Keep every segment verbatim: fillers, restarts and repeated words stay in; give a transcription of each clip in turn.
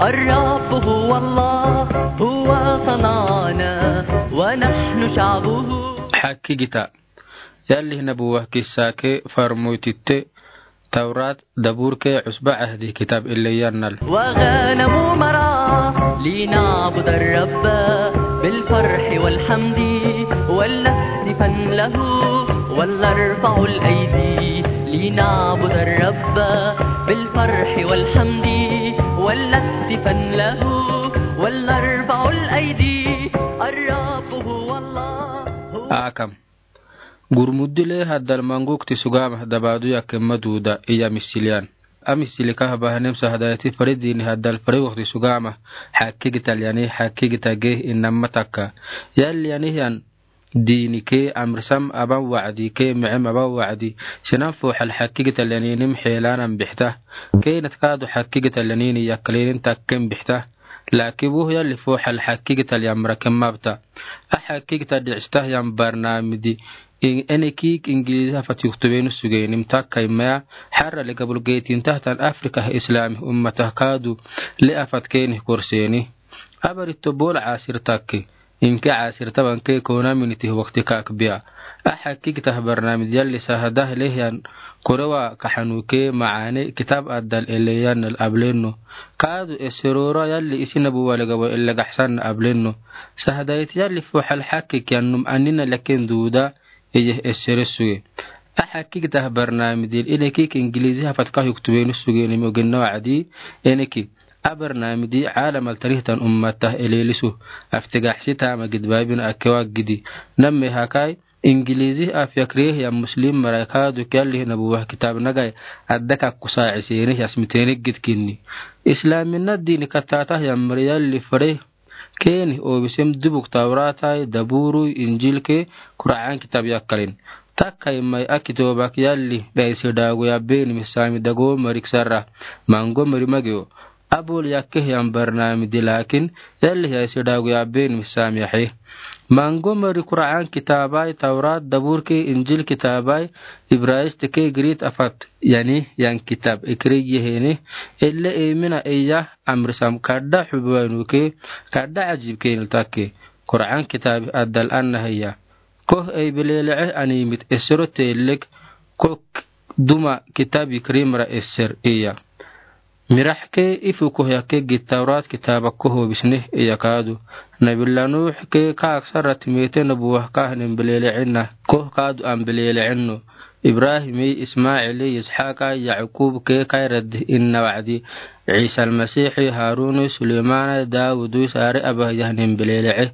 الرب هو الله، هو صنعنا ونحن شعبه. Hakkigita. Yalli Nabuwa kissa ke farmoititte Tawrat, Dabur ke, Usba Ahdi kitab elleyan nal. وغنم مرعى لنعبد الرب بالفرح والحمد ولنهتفن له ولنرفع الأيدي لنعبد الرب بالفرح والحمد ولنهتفن له ولنرفع الأيدي الرب هو الله. Akam. Gurmuddi le haddal mangokti sugaama dabaadu yakke maduda iya misiliyan. A misili kahaba hanem sahadayati fare diini haddal fare wokti sugaama hakkigita lyani hakkigita ge inamma takka. Yalli yani hiyan diini ke amrsam aban wa'di ke micem aban wa'di. Sinan fooxal hakkigita lyaninim xeelanan bixta. Keenat kaadu hakkigita lyanini yakkalenin takken bixta. Laakin woh yalli fooxal hakkigita lyan mra ken mabta. A hakkigita dhicsita hiyan barnaamidi. Enekik Ingilizi hafat yuktubeenu sugeenim takkai maya. Xarra le gabul geetin tahtan Afrika Islaami ummata kaadu le afat keenih korseeni. Abaritto bool caasir takke. Inke caasir taban ke kona minitih wokti kaak biya. A hakkigita barnaamidi yalli sahada le hiyan korewa kaxanu ke macaane kitab addal eleyan nal ablenno. Kaadu eserora yalli isi Nabuwa le gawa ele gaxsan ablenno. Sahadayit yalli fooxal hakkik yannum anina lakin duuda eye esere suge. A hakkigita barnaamidi enekik Ingilizi hafat ka yuktubeenu sugeenim ogenna wa'di eneki. A barnaamidi caalamal tarihtan ummata eleelisu. Aftigaxsi taama gidbaabin akewa gidi. Namme hakai Ingilizi afya krehiya muslim marai kaadu ke yalli Nabuwa kitab nagai adda kakku saaciseeni yasmiteeni gidkinni. Islaaminna diini kattaata hiyan mari yalli fare keenih oobisem dubuk Tawratai, Dabuurui, Injil ke, Kur'aan kitab yakkalin. Takkai mai a kitoobak yalli dhaise dhaagu yabbeenimi saami dago marik sarra. Mango mari mageo. Abol yakke hiyan barnaamidi laakin yalli dhaise dhaagu yabbeenimi saami ahe. Mango mari Kur'aan kitaabai, Tawrat, Dabuur ke, Injil kitaabai, Ibraayist ke, Griit afat yani hiyan kitab ekriye hene. Elle eemina eya amrsam kadda xubuwainu ke, kadda ajib keenil takke. Kur'aan kitaabi addal anna hiya. Koh ei beleleche animit esero teelek kok duma kitaabi krimra eser iya. Mirax ke ifu koh yakke gid Tawrat kitaaba koh oobisne iya kaadu. Nabila Nuux ke kaak sarra timeete Nabuwa kahnen belelechenna koh kaadu an belelecenno. Ibrahimi, Ismaili, Yisxaqa, Yacqub ke kairaddi inna wa'di. Ciisa Almasiixi, Haruni, Suleymana, Dawudi, saare abah yahnen belelece.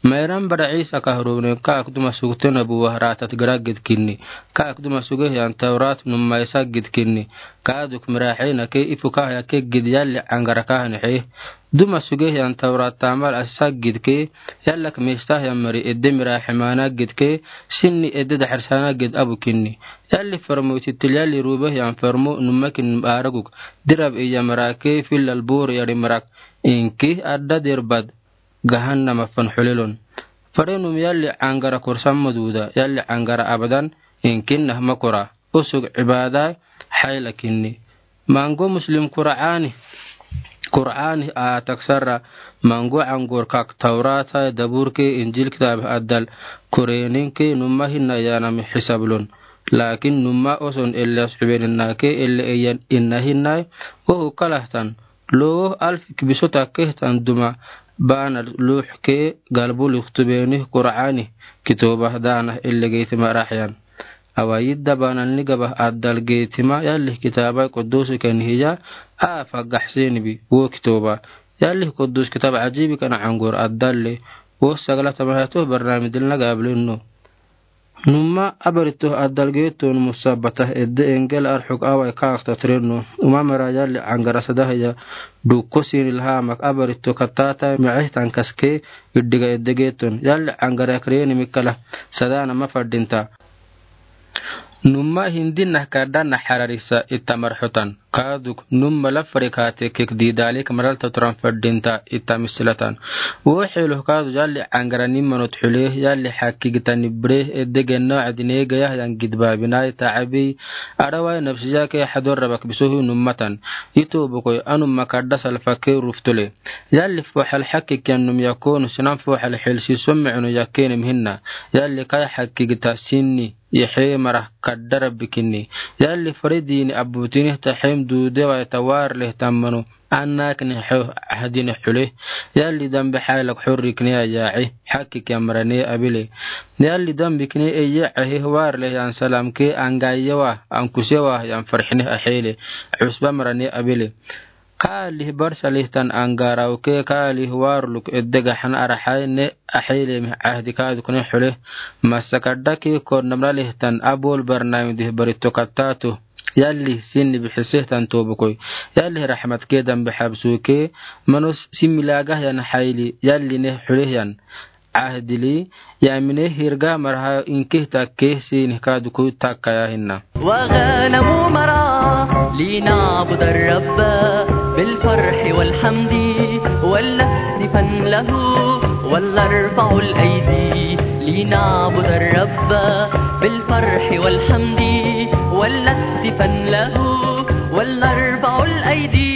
Mairan bara Ciisa kahronen kaak duma sugte Nabuwa raatat gara gidkinni. Kaak duma suge hiyan Tawrat numma isa gidkinni. Kaaduk miraxina ke ifu kah yakke gid yalli cangara kahne xe. Duma suge hiyan Tawrat taamal asisa gidke, yallak mista hiyan mari edde miraximana gidke, sinni edde daxarsana gid abukinni. Yalli farmo itittil yalli rube hiyan farmo nummakin araguk. Dirab iya marake fillal bor yari marak. Inki adda derbad gahannama fan xulelon. Farenum yalli cangara korsan maduda, yalli cangara abadan, inkinna makora. Usug cibaada xayla kinni. Mango muslim Kur'aani, Kur'aani aatak sarra, mango cangor kak Tawrata, Dabuur ke, Injil kitaab addal koreenin ke numma hinna yaanami xisablon. Laakin numma oson elle asxubeninna ke elle eyan inna hinnai, ohu kalahtan, loo alf kibisota kehtan duma baanal luux ke galbu luktubeni Kur'aani kitooba daana elle geytima raxyan. Awa yidda baanalni gaba addal geytima yallih kitaabai quddusi ken hiya aafa gaxseni bi wo kitooba. Yallih quddus kitaab cajiibi ken cangor addalle wo sagala tamahato barnaamijilna gablenno. Numma abarito addal geeton musabbata edde engel arxuk awai kaakta tirenno. Uma mera yalli cangara sada hiya dukko siini laha mak abarito kattata micehtan kaske iddiga edde geeton. Yalli cangara kreni mikala sadana mafadinta. Numma hindinna ka dana hararisa ita marhotan. Kaaduk numma lafari kaate kek didalik maral taturan fadinta ita misilatan. Wo xeluh kaadu yalli angara nimmanot xule, yalli xakki gita nibre, edege no adine gaya yan gidba binai ta abi, arawai nafsiya ke xador rabak bisohu nummatan. Ito bokoi anumma kadda salfa ke ruftule. Yalli foxal xakki kiyan num yakonu sinan foxal xelsi somme unu yakenem hinna. Yalli kai xakki gita sinni. Yexe mara kadara bikini. Yalli fari dini abutini ta xem dudewa ta war leh tamanu. Anakni xo ahdini xule. Yalli dambe xaylak xurrikni ayaci. Xakki kiyan marani abile. Yalli dambe kini eye ahe war leh yan salam ke angayewa, ankusewa, yan farxini axele. Cusba marani abile. Kaalih barsa lihtan angara uke kaalih warluk edega xan araxai ne axele mih cahdi kaadukne xule. Masa kadda ke kor namra lihtan abol barnaim dih barito kattatu. Yalli sinni bixisihtan tobokoi. Yalli raxmat ke dambe xabsuke manus similagah yan xayli yalli ne xule yan. Cahdili, yamine hirga marha inkih takkeh sinih kaduku takkaya hinna. وغنم مرعى لنعبد الرب بالفرح والحمد ولنهتفن له ولنرفع الأيدي لنعبد الرب بالفرح والحمد ولنهتفن له ولنرفع الأيدي